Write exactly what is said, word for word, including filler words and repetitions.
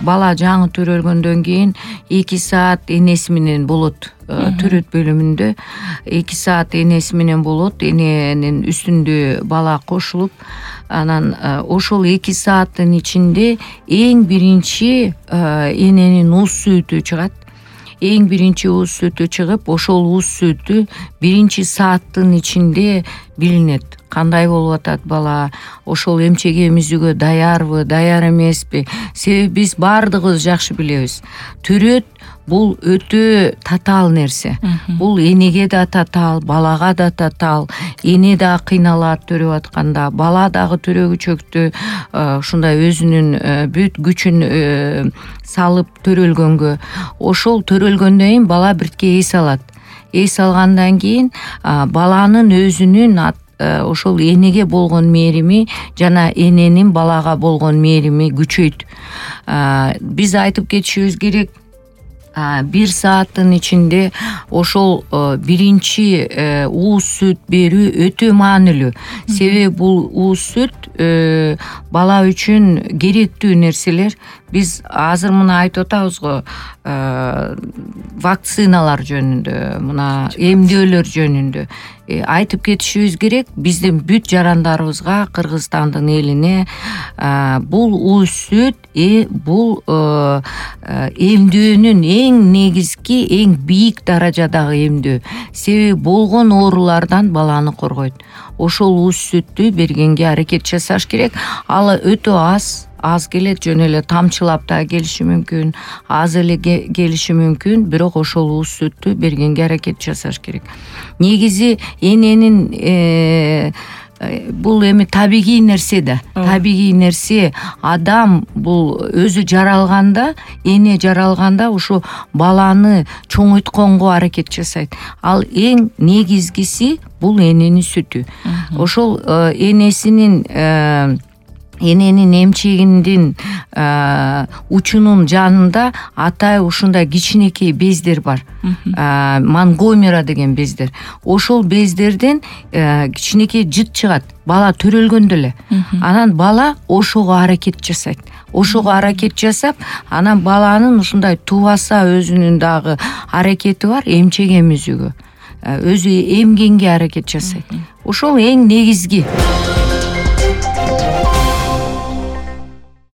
бала жаңы төрөлгөндөн кийин эки саат энеси менен болот. Төрөт бөлүмүндө эки саат энеси менен болот. Эненин үстүндө бала кошулуп, анан ошол эки сааттын ичинде эң биринчи эненин уз сүтү чыгат. Эң биринчи уз сүтү чыгып, ошол уз сүтү биринчи сааттын ичинде билинет. Кандай болуп атат бала, ошол эмчек эмизүүгө даярбы, даяр эмеспи? Себеби биз баардыгыбыз жакшы билебиз. Төрөт бул өтө татаал нерсе. Бул энеге да татаал, балага да татаал. Эне да кыйналат төрөп атканда, бала дагы төрөгүчөктү ушундай өзүнүн бүт күчүн салып төрөлгөнгө. Ошол төрөлгөндөн кийин бала биртке эс алат. Эс алгандан кийин баланын өзүнүн ошол энеге болгон мээрими жана эненин балага болгон мээрими күчөйт. Биз айтып кетишибиз керек, бир сааттын ичинде ошол биринчи ууз сүт берүү өтө маанилүү. Себеби бул ууз сүт бала үчүн керектүү нерселер. Биз азыр мына айтып атабыз го, вакциналар жөнүндө, мына эмдөөлөр жөнүндө айтып кетишибиз керек. Биздин бүт жарандарыбызга, Кыргызстандын элине бул ууз сүт бул эмдөөнүн эң негизги, эң бийик даражадагы эмдөө. Себеби болгон оорулардан баланы коргойт. Ошол ууз сүттү бергенге аракет жасаш керек. Ал өтө аз аз келет, жөн эле тамчылап да келиши мүмкүн, аз эле келиши мүмкүн, бирок ошол ууз сүттү бергенге аракет жасаш керек. Негизи эненин бул эми табигый нерсе да. Табигый нерсе. Адам бул өзү жаралганда, эне жаралганда ушу баланы чоңойтконго аракет жасайт. Ал эң негизгиси бул эненин сүтү. Ошол энесинин эненин эмчегинин учунун жанында атайын ушундай кичинекей бездер бар. Монгомера деген бездер. Ошол бездерден кичинекей жыт чыгат. Бала төрөлгөндө эле. Анан бала ошого аракет жасайт. Ошого аракет жасап, анан баланын ушундай тубаса өзүнүн дагы аракети бар, эмчек эмизүүгө. Өзү эмгенге аракет жасайт. Ошол эң негизги.